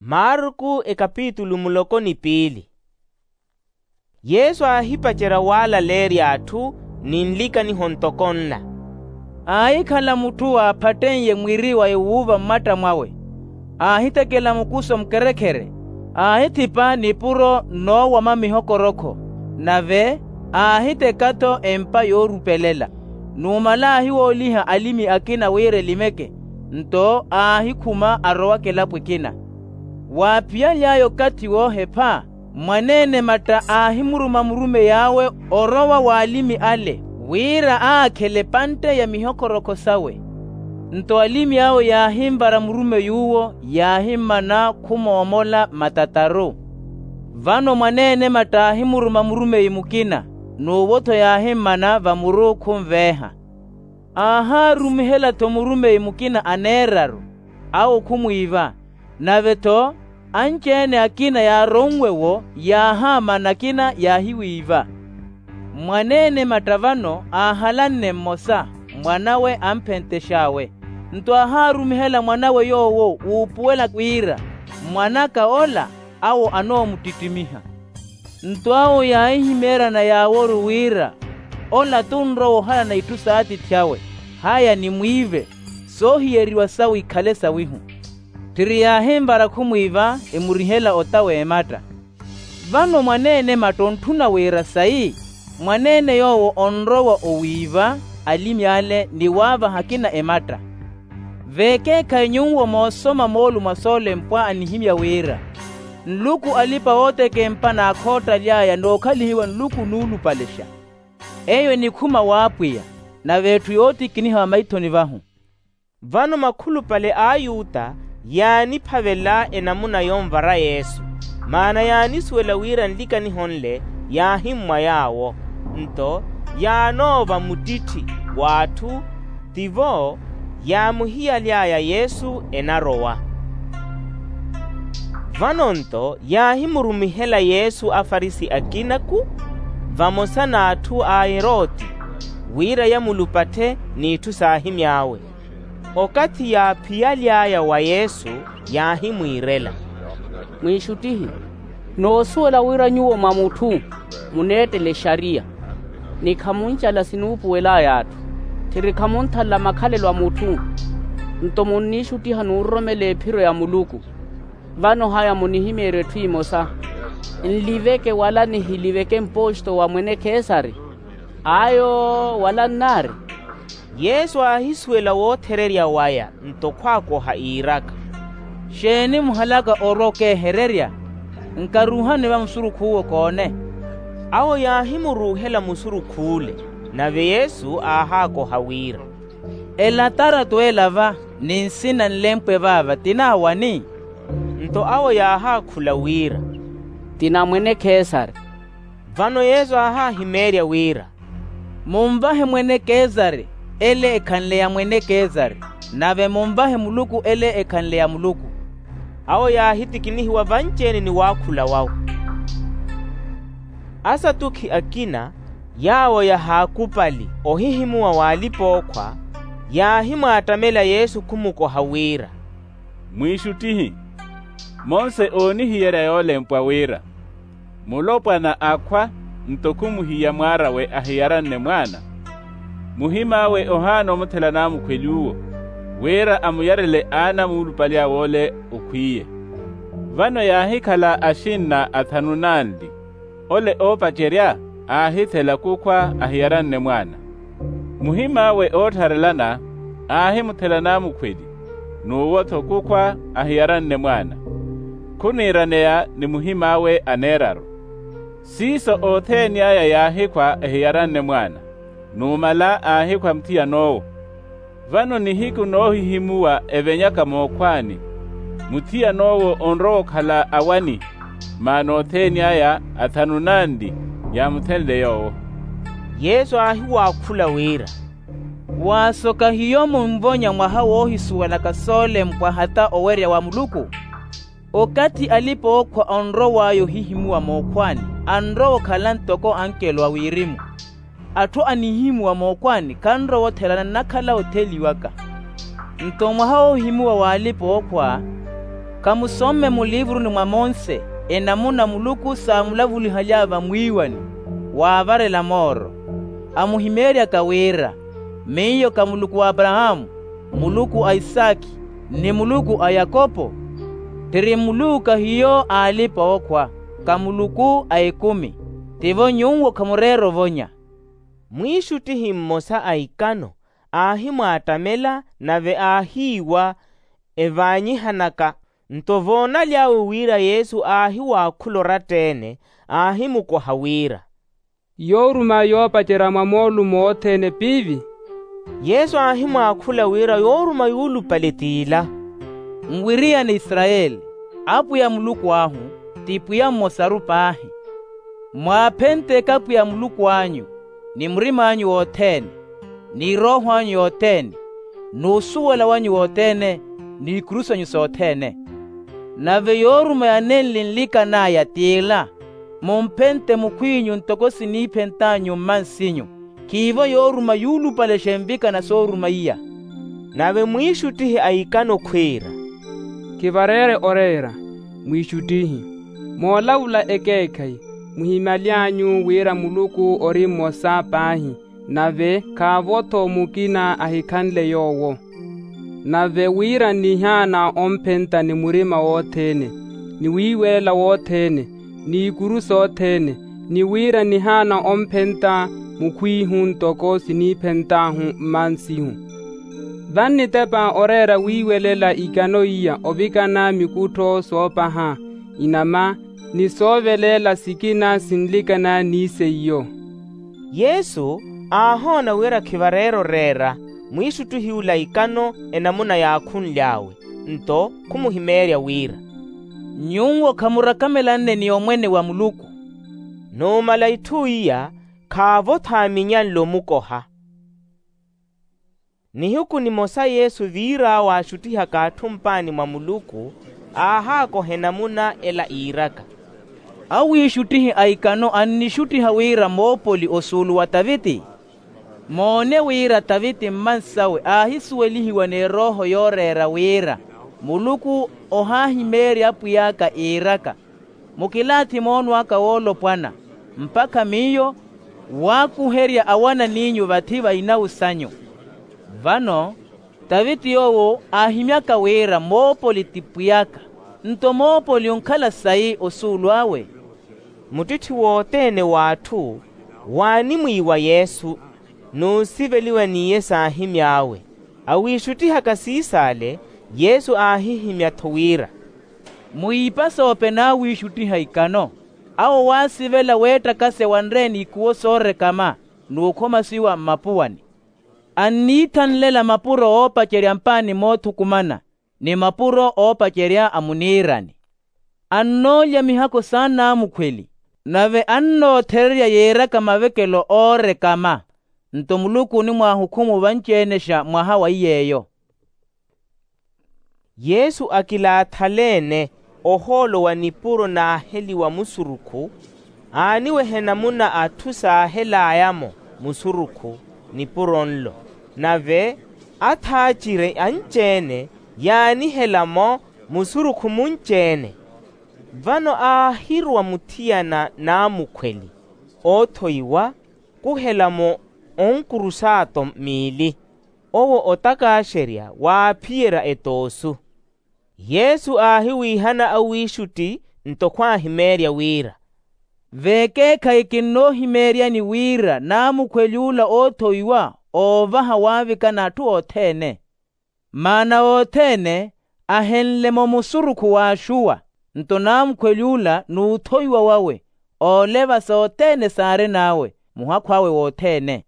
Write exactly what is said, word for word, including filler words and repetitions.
Marku ekapitulu muloko ni piili. Yesu aahipacerya waalaleerya atthu ni nlikaniho ntoko nla. Aahikhala mutthu aaphatten'ye mwiri wa ewuuva mmatta mwawe, aahitekela mukuso mukerekhere, aahithipa nipuro noowama mihokorokho, nave aahiteka-tho empa yoorupelela. Numala aahiwooliha alimi akina wira elimeke, nto aahikhuma arowa kelapo ekina. Waaphiyaly'aya okathi woohepha, mwaneene matta aahimuruma murumeyi awe orowa w'alimi ale wira aakhele epantte ya mihokorokho sawe. Nto alimi awe yaahinvara murumey'uwo, yaahimmana khumoomola matataru. Vano mwaneene matta aahimuruma murumeyi mukina, n'uwo-tho yaahimmana vamuru khunveeha. Aahaarumihela-tho murumeyi mukina aneeraru, awo khumwiiva. Nave-tho anci-ene akina yaaronwe-wo, yaahaamana akina yaahiwiiva. Mwaneene matta vano aahalanne mmosa, mwan'awe amphentex'awe. Nto aahaarumihela mwan'awe yoowo wuupuwela wira, mwan'aka ola awo anoomuttittimiha. Nto awo yaahihimeeryana yaaworu wira, ola t'unrowa ohalana itthu s'atiithi awe, haya nimwiive, soohiyeriwa sawe ikhale sawihu. Tthiri yaahinvara khumwiiva, emurihela ota w'ematta. Vano mwaneene matta ontthuna wira sayi, mwaneene yoowo onrowa owiiva alimi ale ni waavaha akina ematta. Veekeekhayi nyuwo moosoma moolumo a soolempwa anihimya wira, nluku alipa-ootekempa n'akhoottaly'aya n'okhalihiwa nluku nuulupalexa. Eyo enikhuma w'apwiya, nave etthu yootikiniha vamaithoni vahu. Vano makhulupale a ayuta yaaniphavela enamuna yonvara yesu, maana yaanisuwela wira nlikaniho nle yaahimmwa yaawo. Nto yaanoova muttitthi w'atthu, tivo yaamuhiyaly'aya yesu enarowa. Vano nto yaahimurumihela yesu afarisi akina-ku vamosa n'atthu a eroti, wira yamulupatthe n'itthu saahimy'awe. Okathi yaaphiyaly'aya wa yesu, yaahimwiirela, mwiixuttihi, noosuwela wira nyuwo mwa mutthu muneettela exariya, ni khamuncala sinuupuwel'aya atthu, tthiri khamunthalela makhalelo a mutthu. Nto munniixuttiha n'uroromela ephiro ya muluku. Vano haya munihimeerye etthu emosa, nliveke wala nihiliveke mposto wa mwene kesari? Ayo wala nnaari. Yesu aahisuwela woothererya waya nto khwaakoha iiraka, xeeni muhalaka orwa okeehererya? Nkaruuhani va musurukh'uwo koone. Awo yaahimuruuhela musurukh'ule. Nave yesu aahaakoha wira, elataratu ela va ni nsina nlempwe vaava ti naawani? Nto awo yaahaakhula wira, ti na mwene kesari. Vano yesu aahaahimeerya wira, munvahe mwene kesari ele ekhanle ya mwene kesari, nave munvahe muluku ele ekhanle ya muluku. Awo yaahitikinihiwa vanci-ene ni waakhula wawe. Asatukhi akina, yaawo yahaakupali ohihimuwa w'alipa-ookhwa, yaahimwaattamela yesu khumukoha wira, mwiixuttihi, monse oonihiyerya yoolempwa wira, mulopwana akhwa nto khumuhiya mwaar'awe ahiyaranne mwaana, muhim'awe ohaana omuthela naamukhweli uwo, wira amuyarele aana muulupali awe ole okhwiiye. Vano yaahikhala axinna athanu nanli, ole oopacerya aahithela kukhwa ahiyaranne mwaana. Muhim'awe ootharelana aahimuthela naamukhweli, n'uwo-tho kukhwa ahiyaranne mwaana. Khuniiraneya ni muhim'awe aneeraru. Siiso othene aya yaahikhwa ehiyaranne mwaana, numala aahikhwa muthiyan'owo. Vano nihiku noohihimuwa evenyaka mookhwaani, muthiyan'owo onrowa okhala awani, maana othene aya athanu nanli yaamuthenle yoowo. Yesu aahiwaakhula wira, waasoka hiyo munvonya mwaha woohisuwelaka soolempwa hata owerya wa muluku? Okathi alipa-ookhwa onrow'aya ohihimuwa mookhwaani, anrowa okhala ntoko ankelo a wirimu. Atthu anihihimuwa mookhwaani khanrowa othelana nnakhala otheliwaka. Nto mwaha woohihimuwa w'alipa-ookhwa, Khamusomme mulivuruni mwa monse enamuna muluku saamulavulihaly'aya vamwiiwani waavarela mooro, amuhimeeryaka wira, miyo ka muluku w'aparahaamu, muluku a isakhi, ni muluku a yakopo? Tthiri muluku kahiyo a alipa-ookhwa, ka muluku a ekumi. Tivo nyuwo khamureera ovonya. Mwiixuttihi mmosa a ikano aahimwaattamela nave aahiiwa, evaanyihanaka. Nto voonaly'awe wira yesu aahiwaakhula oratta-ene, aahimukoha wira, yooruma yoopacerya mwa moolumo othene piivi? Yesu aahimwaakhula wira yooruma yuulupale t'ila, nwiriyane israyeli, apwiya muluku ahu ti pwiya mmosaru paahi. Mwaaphenteke apwiya muluku anyu ni murim'anyu wothene, ni erooho anyu yothene, n'usuwela wanyu wothene, n'ikuru sanyu sothene. Nave yooruma yanenli nlikan'aya t'ila, mumphente mukhw'inyu ntoko siniiphent'anyu mmansinyu. Khiivo yooruma yuulupalexa envikana sooruma iya. Nave mwiixuttihi a ikano khwiira, khivareere oreera, mwiixuttihi. Moolavula ekeekhayi, muhimaly'anyu wira muluku ori mmosa paahi, nave khaavo-tho mukina ahikhanle yoowo. Nave wira nnihaana omphenta ni murima wothene, ni wiiwelela wothene, n'ikuru sothene, ni wira nnihaana omphenta mukhw'ihu ntoko siniiphent'ahu mmansihu. Vannitepa oreera wiiwelela ikano iya ovikana mikuttho soopaha, inama, ni sooveleela sikina sinlikana ni seiyo. Yesu aahoona wira khivareera oreera, mwiixuttuhi ula ikano enamuna yaakhunly'awe, nto khumuhimeerya wira, nyuwo khamurakamelanne ni omwene wa muluku. Numala itthu iya, khaavo-tho aaminyanle omukoha. Nihiku nimosa yesu viir'awe aaxuttihaka atthu mpaani mwa muluku, aahaakoha enamuna ela iiraka, awiixuttihi a ikano annixuttiha wira moopoli osuulu wa taviti. Moone wira taviti mmansawe aahisuwelihiwa n'erooho yooreera wira, muluku ohaahimeerya apwiy'aka iiraka, mukilaathi moono aka woolopwana, mpakha miyo waakuherya awanan'inyu vathi va inawu sanyu. Vano taviti yoowo aahimyaka wira moopoli ti pwiy'aka, nto moopoli onkhala sayi osuulu awe? Muttitthi wothene w'atthu waanimwiiwa yesu, n'usiveliwa n'iye saahimy'awe. Awiixuttihaka siisaale, yesu aahihimya-tho wira, mwiipasoope naawiixuttiha ikano. Awo waasivela weettakase wanre n'ikuwo soorekama n'ukhomasiwa mmapuwani. Anniithanlela mapuro oopacerya mpaani moothukumana, ni mapuro oopacerya a muniirani. Annoolya mihakho s'anaamukhweli, nave annoothererya yiiraka mavekelo oorekama. Nto muluku onimwaahukhumu vanci-enexa mwaha wa iy'eyo. Yesu akilaathaleene ohoolo wa nipuro naaheliwa musurukhu, aaniweha enamuna atthu saahelaaya-mo musurukhu nipuro nlo. Nave athaaciri anci-ene yaanihela-mo musurukhu munci-ene. Vano aahiruwa muthiyana naamukhweli oothoiwa, kuhela-mo onkurusaato miili, owo otakaaxerya waaphiyerya etoosu. Yesu aahiwiihana awiixutti nto khwaahimeerya wira, veekeekhayi kinnoohimeeryani wira naamukhweli ula oothoiwa oovaha waavikana atthu othene. Maana othene ahenle-mo musurukhu w'axuwa, nto naamukhweli ula n'uthoiwa wawe ooleva sothene saarin'awe muhakhu awe wothene.